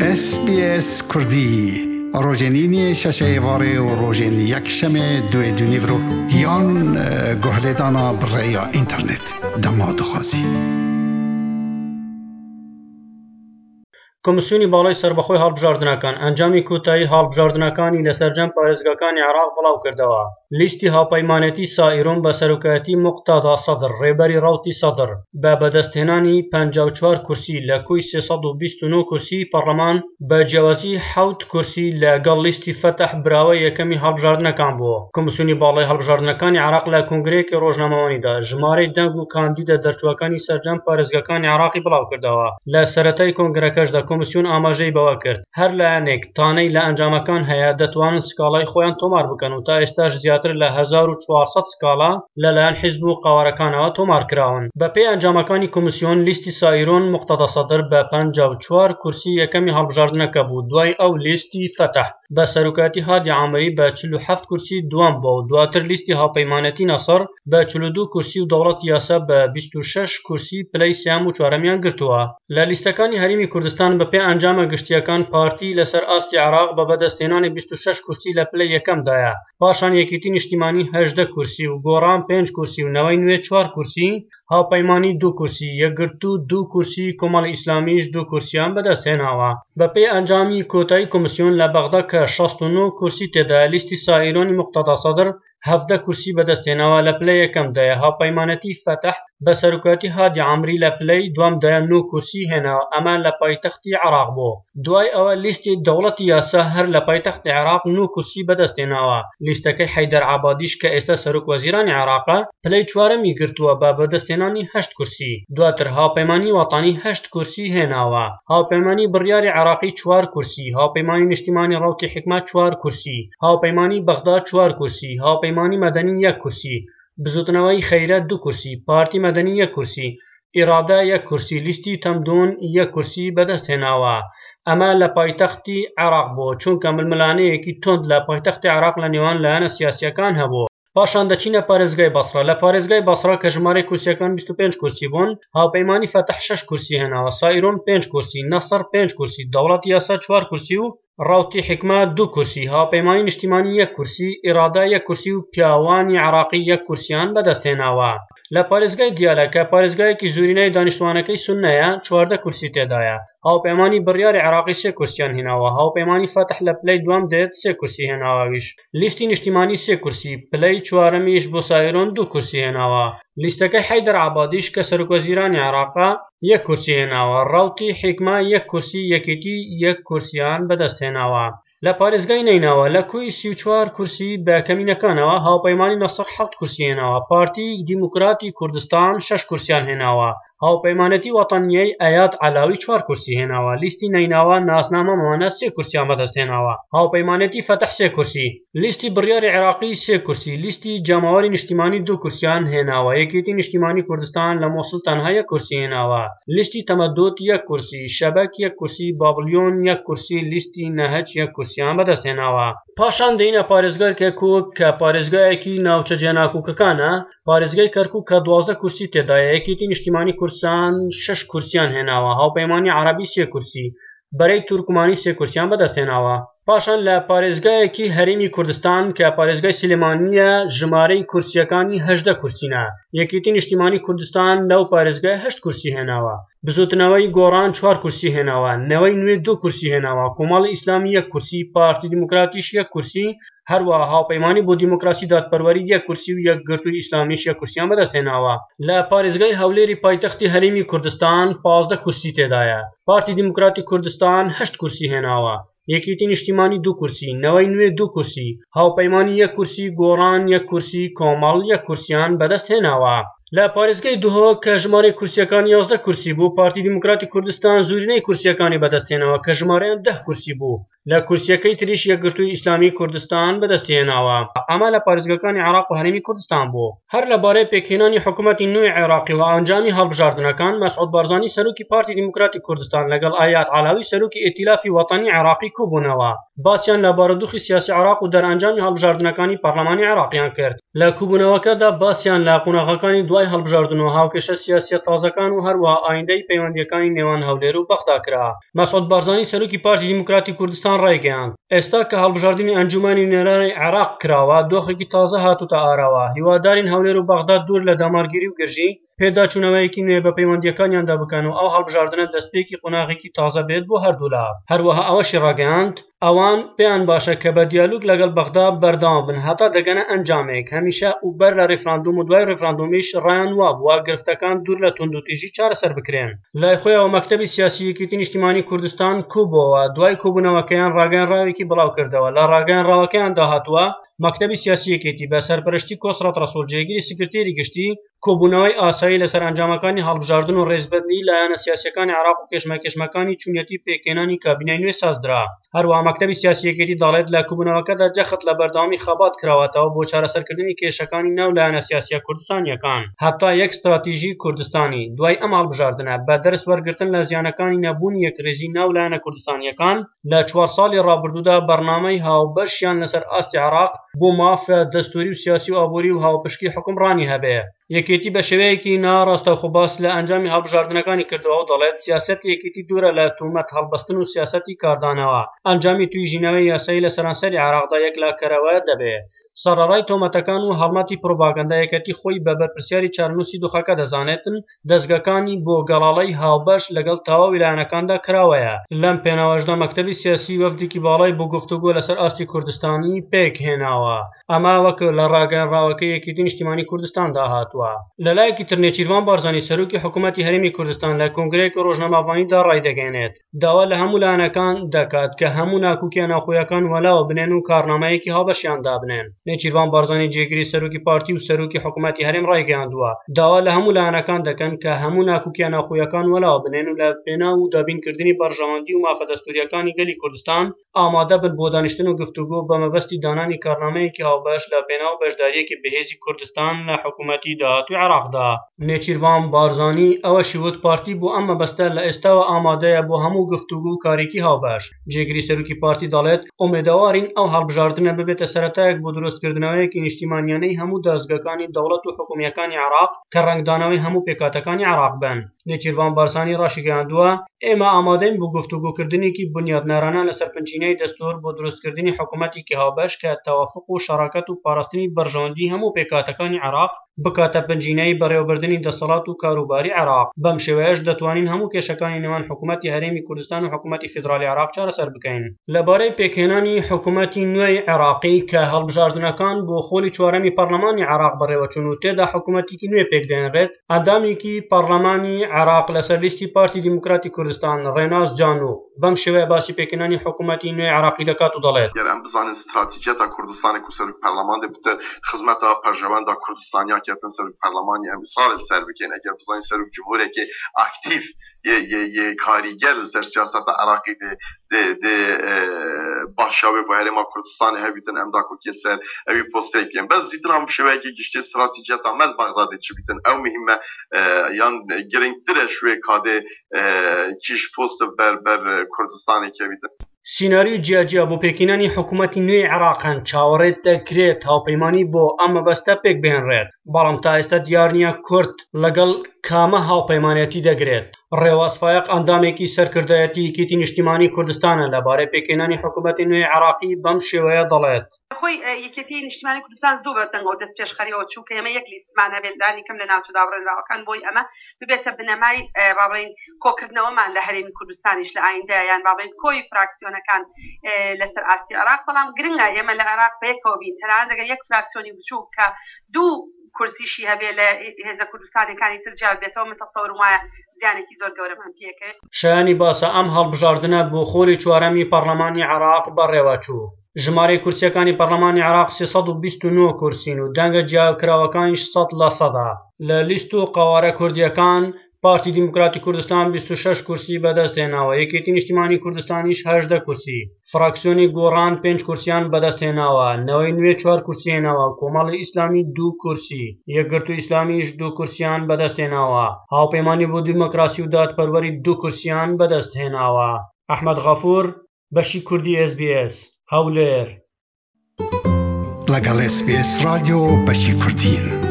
SBS Kurdî rojên îniyê şeşê êvarê û rojên yekşemê duê du nîvro yan guhlêdana bi rêya înternet dema dixwazî. کۆمسیۆنی باڵای سەربەخۆی هەڵبژاردنەکان ئەنجامی کۆتایی هەڵبژاردنەکانی لە سەرجەم پارێزگاکانی عێراق بڵاوکردەوە. لیستی هاوپەیمانێتی سائیرون بە سەرۆکایەتی موقتەدا سەدر ڕێبەری ڕەوتی سەدر بە بەدەستهێنانی 54 کورسی لە کۆی 329 کورسی پەڕلەمان بە جیاوازی حەوت کورسی لە گەڵ لیستی فەتح براوەی یەکەمی هەڵبژاردنەکان بوو. کۆمسیۆنی باڵای هەڵبژاردنەکانی عێراق لە کۆنگرەیەکی ڕۆژنامەوانیدا ژمارەی دەنگ و کاندیدە دەرچووەکانی سەرجەم پارێزگاکانی عێراقی بڵاوکردەوە. لە سەرەتای کۆنگرەکەشدا کۆمسیۆن ئاماژەی بەوە کرد، هەر لایەنێک تانەی لە ئەنجامەکان هەیە دەتوانن سکاڵای خۆیان تۆمار بکەن و تا ئێستاش زیاتر لە 1400 سکاڵا لەلایەن حیزب و قەوارەکانەوە تۆمار کراون. بەپێی ئەنجامەکانی کۆمسیۆن، لیستی سائیرون موقتەدا سەدر بە 54 کورسی یەکەمی هەڵبژاردنەکە بوو، دوای ئەو لیستی فەتح بە سەرۆکایەتی هادی عامری بە 47 کورسی دووەم بووە و دواتر لیستی هاوپەیمانێتی نەسڕ بە 42 کورسی و دەوڵەتی یاسا بە 26 کورسی پلەی سێیەم و چوارەمیان گرتووە. لە لیستەکانی هەرێمی کوردستان بەپێی ئەنجامە گشتییەکان پارتی لەسەر ئاستی عێراق بە بەدەستهێنانی 26 کورسی لە پلەی یەکەمدایە، پاشان یەکێتی نیشتیمانی 18 کورسی و گۆڕان پێنج کورسی و نەوەی نوێ چوار کورسی، هاوپەیمانی دوو کورسی، یەکگرتوو دوو کورسی، کۆمەڵی ئیسلامیش دوو کورسیان بەدەستهێناوە. بەپێی ئەنجامی کۆتایی کۆمسیۆن لە بەغدا کە 69 کورسی تێدایە لیستی سائیرۆنی موقتەدا سەدر 17 کورسی بەدەستهێناوە لە پلەی یەکەمدایە، هاوپەیمانێتی فەتح بە سەرۆکایەتی هادی عامری لە پلەی دووەمدایە نۆ کورسی هێناوە ئەمە لە پایتەختی عێراق بوو. دوای ئەوە لیستی دەوڵەتی یاسا هەر لە پایتەختی عێراق نۆ کورسی بەدەستهێناوە، لیستەکەی حەیدەر عەبادیش کە ئێستا سەرۆک وەزیرانی عێراقە پلەی چوارەمی گرتووە بە بەدەستهێنانی هەشت کورسی، دواتر هاوپەیمانی وەتەنی هەشت کورسی هێناوە، هاوپەیمانی بڕیاری عێراقی چوار کورسی، هاوپەیمانی نیشتیمانی ڕەوتی حیکمە چوار کورسی، هاوپەیمانی بەغدا چوار کورسی، هاوپەیمانی مەدەنی یەک کورسی، بزوتنەوەی خەیرە دوو کورسی، پارتی مەدەنی یەک کورسی، ئیرادە یەک کورسی، لیستی تەمدون یەک کورسی بەدەستهێناوە. ئەمە لە پایتەختی عێراق بوو، چونکە ململانێیەکی توند لە پایتەختی عێراق لە نێوان لایەنە سیاسییەکان هەبوو. پاشان دەچینە پارێزگای بەسڕە، لە پارێزگای بەسڕە کە ژمارەی کورسییەکان 25 کورسی بوون، هاوپەیمانی فەتح شەش کورسی هێناوە، سائیرون پێنج کورسی، نەسڕ پێنج کورسی، دەوڵەتی یاسا چوار کورسی و ڕەوتی حیکمە دوو کورسی، هاوپەیمانی نیشتیمانی یەک کورسی، ئیرادە یەک کورسی و پیاوانی عێراقی یەک کورسیان بەدەستهێناوە. لە پارێزگای دیالە کە پارێزگایەکی زۆرینەی دانیشتوانەکەی سوننەیە، 14 کورسی تێدایە. هاوپەیمانی بڕیاری عێراقی سێ کورسیان هێناوە، هاوپەیمانی فەتح لە پلەی دووەم دێت سێ کورسی هێناوە ئەویش لیستی نیشتیمانی سێ کورسی، پلەی چوارەمیش بۆ سایرۆن دوو کورسی هێناوە. لیستەکەی حەیدەر عەبادیش کە سەرۆکوەزیرانی عێراقە یەک کورسی هێناوە، ڕەوتی حیکمە یەک کورسی، یەکێتی یەک کورسیان بەدەستهێناوە. لە پارێزگای نەینەوا لە کۆی 34 کورسی بە کەمینەکانەوە هاوپەیمانی نەسڕ حەوت کورسی هێناوە، پارتی دیموکراتی کوردستان شەش کورسیان هێناوە، هاوپەیمانێتی وەتەنیی ئەیاد عەلاوی چوار کورسی هێناوە، لیستی نەینەوا ناسنامەمانە سێ کورسیان بەدەستهێناوە، هاوپەیمانێتی فەتح سێ کورسی، لیستی بڕیاری عێراقی سێ کورسی، لیستی جەماوەری نیشتیمانی دوو کورسیان هێناوە، یەکێتی نیشتیمانی کوردستان لە موسڵ تەنها یەک کورسی هێناوە، لیستی تەمەدود یەک کورسی، شەبەک یەک کورسی، بابلیۆن یەک کورسی، لیستی نەهج یەک کورسیان بەدەستهێناوە. پاشان دێینە پارێزگای کەرکوک کە پارێزگایەکی ناوچە جێناکۆکەکانە، پارێزگای کەرکوک کە 12 کورسی تێدایە، یەکێتی نیشتیمانی کوردستان شەش کورسیان هێناوە، هاوپەیمانی عەرەبی سێ کورسی، بەرەی تورکمانی سێ کورسیان بەدەستهێناوە. پاشان لە پارێزگایەکی هەرێمی کوردستان کە پارێزگای سلێمانییە ژمارەی کورسییەکانی 18 کورسینە، یەکێتی نیشتیمانی کوردستان لەو پارێزگای هەشت کورسی هێناوە، بزوتنەوەی گۆڕان چوار کورسی هێناوە، نەوەی نوێ دوو کورسی هێناوە، کۆمەڵی ئیسلامی یەک کورسی، پارتی دیموکراتیش یەک کورسی، هەروەها هاوپەیمانی بۆ دیموکراسی دادپەروەری یەک کورسی و یەکگرتووی ئیسلامیش یەک کورسیان بەدەستهێناوە. لە پارێزگای هەولێری پایتەختی هەرێمی کوردستان 15 کورسی تێدایە، پارتی دیموکراتی کوردستان هەشت کورسی هێناوە، یەکێتی نیشتیمانی دوو کورسی، نەوەی نوێ دوو کورسی، هاوپەیمانی یەک کورسی، گۆڕان یەک کورسی، کۆمەڵ یەک کورسیان بەدەستهێناوە. لە پارێزگای دهۆک کە ژمارەی کورسییەکان 11 کورسی بوو، پارتی دیموکراتی کوردستان زۆرینەی کورسییەکانی بەدەستهێناوە کە ژمارەیان دە کورسی بوو. لە کورسییەکەی تریش یەکگرتووی ئیسلامیی کوردستان بەدەستیهێناوە. ئەمە لە پارێزگاکانی عێراق و هەرێمی کوردستان بوو. هەر لەبارەی پێکهێنانی حکومەتی نوێی عێراقی و ئەنجامی هەڵبژاردنەکان، مەسعود بارزانی سەرۆکی پارتی دیموکراتی کوردستان لەگەڵ ئایاد عەلاوی سەرۆکی ئیتیلافی وەتەنی عێراقی کۆبوونەوە، باسیان لە بارودۆخی سیاسی عێراق و دەرئەنجامی هەڵبژاردنەکانی پەرلەمانی عێراقیان کرد. لە کۆبوونەوەکەدا باسیان لە قۆناغەکانی دوای هەڵبژاردن و هاوکێشە سیاسییە تازەکان و هەروەها ئایندەی پەیوەندییەکانی نێوان هەولێر و بەغدا کرا. مەسعود بارزانی سەرۆکی پارتی دیموکراتی کوردستان ڕایگەیاند، ئێستا کە هەڵبژاردنی ئەنجوومەنی نوێنەرانی عێراق کراوە، دۆخێکی تازە هاتووتە ئاراوە، هیوادارین هەولێر و بەغدا دوور لە دەمارگیری و گرژی، پێداچوونەوەیەکی نوێ بە پەیوەندییەکانیاندا بکەن و ئەو هەڵبژاردنە دەستپێکی قۆناغێکی تازە بێت بۆ هەردوولا. هەروەها ئەوەشی ڕاگەیاند، ئەوان پێیان باشە کە بە دیالوگ لەگەڵ بەغدا بەردەوام بن هەتا دەگەنە ئەنجامێک، هەمیشە و بەر لە ڕیفراندۆم و دوای ڕیفراندۆمیش ڕایان وابووە گرفتەکان دوور لە توندوتیژی چارەسەر بکرێن. لای خۆیەوە مەکتەبی سیاسی یەکێتی نیشتیمانی کوردستان کۆبووەوە، دوای کۆبوونەوەکەیان ڕاگەیەنراوێکی بڵاوکردەوە، لە ڕاگەیەنراوەکەیاندا هاتووە، مەکتەبی سیاسی یەکێتی بە سەرپەرشتی کۆسرەت ڕەسوڵ جێگری سکرتێری گشتی، کۆبوونەوەی ئاسایی لەسەر ئەنجامەکانی هەڵبژاردن و ڕێزبەندیی لایەنە سیاسییەکانی عێراق و کێشمەکێشمەکانی چونیەتی پێکهێنانی کابینەی نوێ سازدرا. هەروەها مەکتەبی سیاسی یەکێتی دەڵێت، لە کۆبوونەوەکەدا جەخت لە بەردەوامی خەبات کراوەتەوە بۆ چارەسەرکردنی کێشەکانی ناو لایەنە سیاسییە کوردستانییەکان هەتا یەک ستراتیژی کوردستانی دوای ئەم هەڵبژاردنە بە دەرس وەرگرتن لە زیانەکانی نەبوونی یەکڕیزی ناو لایەنە کوردستانییەکان لە چوار ساڵی ڕابردوودا بەرنامەی هاوبەشیان لەسەر ئاستی عێراق بۆ مافە دەستوری و سیاسی و ئابووری و هاوپشکی حوکمڕانی هەبێ. یەکێتی بە شێوەیەکی ناڕاستەوخۆ باس لە ئەنجامی هەڵبژاردنەکانی کردووە و دەڵێت، سیاسەتی یەکێتی دوورە لە تۆمەت هەڵبەستن و سیاسەتی کاردانەوە، ئەنجامی تویژینەوەی یاسایی لە سەرانسەری عێراقدا یەکلاکەرەوە دەبێ. سەڕەڕای تۆمەتەکان و هەڵمەتی پروپاگەندە یەکێتی خۆی بە بەرپرسیاری چارەنووسی دۆخەکە دەزانێتن، دەزگەکانی بۆ گەڵاڵەی هاوبەش لەگەڵ تەواوی لایەنەکاندا کراوەیە. لەم پێناوەشدا مەکتەبی سیاسی وەفدێکی باڵای بۆ گفتوگۆ لەسەر ئاستی کوردستانی پێکهێناوە. ئەمە وەک لە ڕاگەیەنراوەکەی یەکێتی نیشتیمانی کوردستاندا هاتووە. لەلایەکی تر نێچیرڤان بارزانی سەرۆکی حکومەتی هەرێمی کوردستان لە کۆنگرەیەکی ڕۆژنامەڤانیدا ڕایدەگەیەنێت، داوا لە هەموو لایەنەکان دەکات کە هەموو ناکۆکییە ناوخۆیەکان وەلاوە بنێن و کارنامەیەکی هاوبەشیان دابنێن. نێچیرڤان بارزانی جێگری سەرۆکی پارتی و سەرۆکی حکومەتی هەرێم ڕایگەیاندووە، داوا لە هەموو لایەنەکان دەکەن کە هەموو ناکۆکییە ناوخۆیەکان وەلاوە بنێن و لە پێناو دابینکردنی بەرژەوەندی و مافە دەستوورییەکانی گەلی کوردستان ئامادە بن بۆ دانیشتن و گفتوگۆ بە مەبەستی دانانی کارنامەیەکی هاوبەش لە پێناو بەشدارییەکی بەهێزی کوردستان لە حکوومەتی داهاتووی عێراقدا. نێچیرڤان بارزانی ئەوەشی وت، پارتی بۆ ئەم مەبەستە لە ئێستاوە ئامادەیە بۆ هەموو گفتوگۆ و کارێکی هاوبەش. جێگری سەرۆکی پارتی دەڵێت، ئومێدەوارین ئەو هەڵبژاردنە ببێتە سەرەتایەک بۆ دروستکردنەوەیەکی نیشتیمانیانەی هەموو دەزگاکانی دەوڵەت و حکومییەکانی عێراق کە ڕەنگدانەوەی هەموو پێکهاتەکانی عێراق بن. نێچیرڤان بارزانی ڕاشیگەیاندووە، ئێمە ئامادەین بۆ گفتوگۆکردنێکی بنیاتنەرانە لەسەر بنچینەی دەستوور بۆ دروستکردنی حکومەتێکی هاوبەش کە تەوافوق و شەراکەت و پاراستنی بەرژەوەندیی هەموو پێکهاتەکانی عێراق بکاتە بنچینەی بەڕێوەبردنی دەسەڵات و کاروباری عێراق، بەم شێوەیەش دەتوانین هەموو کێشەکانی نێوان حکومەتی هەرێمی کوردستان و حکومەتی فیدراڵی عێراق چارەسەر بکەین. لەبارەی پێکهێنانی حکومەتی نوێی عێراقی کە هەڵبژاردنەکان بۆ خۆلی چوارەمی پەرلەمانی عێراق بەڕێوەچوون و تێدا حکومەتێکی نوێ پێکدەهێنرێت، ئەندامێکی پەڕلەمانی عێراق لەسەر لیستی پارتی دیموکراتی کوردستان ڕێناس جانو بەم شێوەیە باسی پێکهێنانی حکوومەتی نوێی عێراقی دەکات و دەڵێت. گەر ئەم بزانین ستراتیجیەتا کوردستانێ کو سەروک پەرلەمان دێ بتر خزمەتا پەرژەوەندا کوردستانیا کەتن سەروک پەرلەمانی ئەم ئیسرارێ لسەر بکەین ئەگەر بزانین سەروک جمهورێکێ ئاکتیڤ یێ یێ یێ کاریگەر لسەر سیاسەتا عێراقی دێ دێ دێ باشا وێ بۆ هەرێما کوردستانێ هەبیتن ئەم داکۆکیە لسەر ئەوی پۆستەی بکەین بەس دیتنا بشێوەیەکی گشتی ستراتیجیەتا مە لە بەغدا دێ چ بیتن ئەو مهمە یان گرنگترە شوێ کادێ کیش پۆست بەر بەر کوردستانێ کەویتن. سیناریۆی جیاجیا بۆ پێکهێنانی حکوومەتی نوێی عێراق هەن، چاوەڕێ دەکرێت هاوپەیمانی بۆ ئەم مەبەستە پێکبهێنرێت، بەڵام تا ئێستا دیار نییە کورد لەگەڵ کامە هاوپەیمانێتی دەگرێت. ڕێواز فایەق ئەندامێکی سەرکردایەتی یەکێتی نیشتیمانی کوردستانە لەبارەی پێکهێنانی حکوومەتی نوێی عێراقی بەم شێوەیە دەڵێت. خۆی یەکێتی نیشتیمانی کوردستان زۆر بە دەنگەوە دەستپێشخەریەوە چوو کە ئێمە یەک لیستمان هەبێت لانی کەم لە ناوچە دابڕێنراوەکان بۆی ئەمە ببێتە بنەمای با بڵێین کۆکردنەوەمان لە هەرێمی کوردستانیش لە ئایندە یان با بڵێین کۆی فراکسیۆنەکان لەسەر ئاستی عێراق بەڵام گرنگە ئێمە لە عێراق بەیەکەوە بین تەنانەت ئەگەر یەک فراکسیۆنی بچووک کە دوو کورسیشی هەبێ لە هێزە کوردستانەکانی تر جیا بێتەوە من تەسەورم وایە زیانێکی زۆر گەورەمان پێکەوێت. شایانی باسە ئەم هەڵبژاردنە بۆ خۆلی چوارەمی پەڕلەمانی عێراق بەڕێوەچوو. ژمارەی کورسییەکانی پەڕلەمانی عێراق 329 کورسین و دەنگە جیاکراوەکانیش 100 لە سەدە. لە لیست و قەوارە کوردییەکان. پارتی دیموکراتی کوردستان 26 کورسی بەدەستهێناوە، یەکێتی نیشتیمانی کوردستانیش 18 کورسی، فراکسیۆنی گۆڕان پێنج کورسیان بەدەستهێناوە، نەوەی نوێ چوار کورسی هێناوە، کۆمەڵی ئیسلامی دوو کورسی، یەکگرتوو ئیسلامیش دوو کورسیان بەدەستهێناوە، هاوپەیمانی بۆ دیموکراسی و دادپەروەری دوو کورسیان بەدەستهێناوە. ئەحمەد غەفور، بەشی کوردی ئێس بی ئێس، هەولێر. لەگەڵ ئێس بی ئێس ڕادیۆ بەشی کوردین.